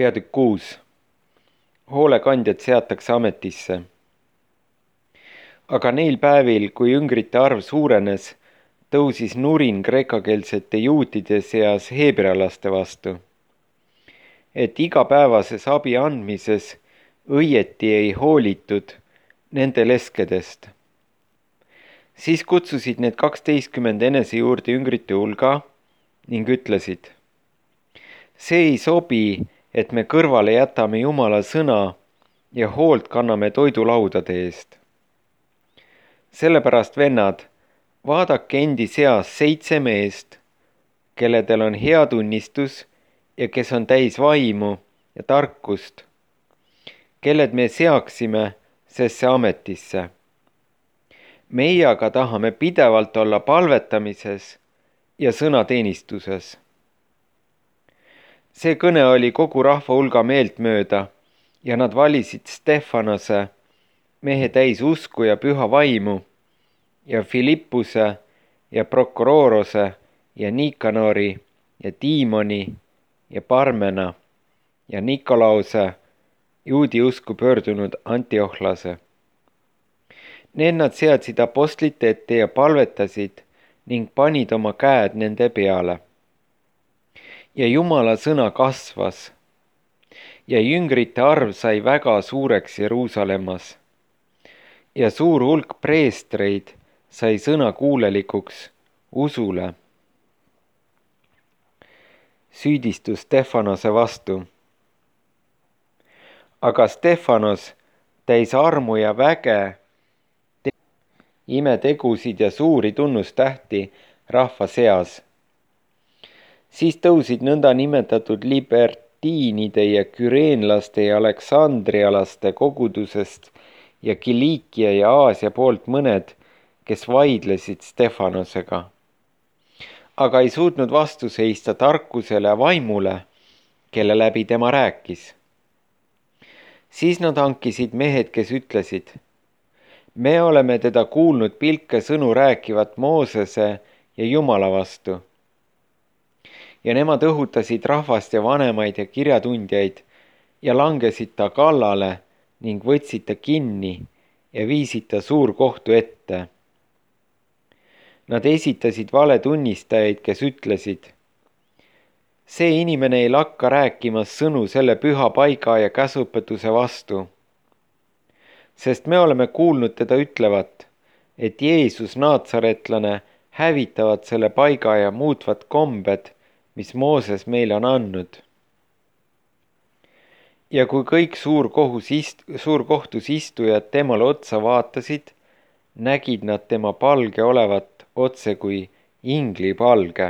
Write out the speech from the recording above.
Peatükk 6. Hoolekandjad seatakse ametisse. Aga neil päevil, kui üngrite arv suurenes, tõusis nurin kreekakeelsete juutide seas heebrealaste vastu, et igapäevases abi andmises õieti ei hoolitud nende leskedest. Siis kutsusid need 12 enese juurde üngrite hulga ning ütlesid: see ei sobi, et me kõrvale jätame Jumala sõna ja hoolt kanname toidulaudade eest. Sellepärast, vennad, vaadake endi seas 7 meest, kelledel on hea tunnistus ja kes on täis vaimu ja tarkust, kelled me seaksime sesse ametisse. Meie aga tahame pidevalt olla palvetamises ja sõnateenistuses. See kõne oli kogu rahva hulga meelt mööda ja nad valisid Stefanose, mehe täis usku ja püha vaimu, ja Filippuse ja Prokororose ja Nikanori ja Tiimoni ja Parmena ja Nikolause, juudi usku pöördunud Antiohlase. Need nad seadsid apostlite ette ja palvetasid ning panid oma käed nende peale. Ja Jumala sõna kasvas ja jüngrite arv sai väga suureks Jeruusalemmas ja suur hulk preestreid sai sõnakuulelikuks usule. Süüdistus Stefanose vastu. Aga Stefanos täis armu ja väge, imetegusid ja suuri tunnustähti rahva seas. Siis tõusid nõnda nimetatud libertiinide ja küreenlaste ja aleksandrialaste kogudusest ja Kiliikia ja Aasia poolt mõned, kes vaidlesid Stefanosega, aga ei suutnud vastu seista tarkusele ja vaimule, kelle läbi tema rääkis. Siis nad hankisid mehed, kes ütlesid: me oleme teda kuulnud pilke sõnu rääkivat Moosese ja Jumala vastu. Ja nemad õhutasid rahvast ja vanemaid ja kirjatundjaid ja langesid ta kallale ning võtsid ta kinni ja viisid ta suurkohtu ette. Nad esitasid valetunnistajaid, kes ütlesid: see inimene ei lakka rääkimas sõnu selle püha paiga ja käsupõtuse vastu. Sest me oleme kuulnud teda ütlevat, et Jeesus naatsaretlane hävitavad selle paiga ja muutvad kombed, mis Mooses meile on andnud. Ja kui kõik suurkohtus istujad temale otsa vaatasid, nägid nad tema palge olevat otse kui inglipalge.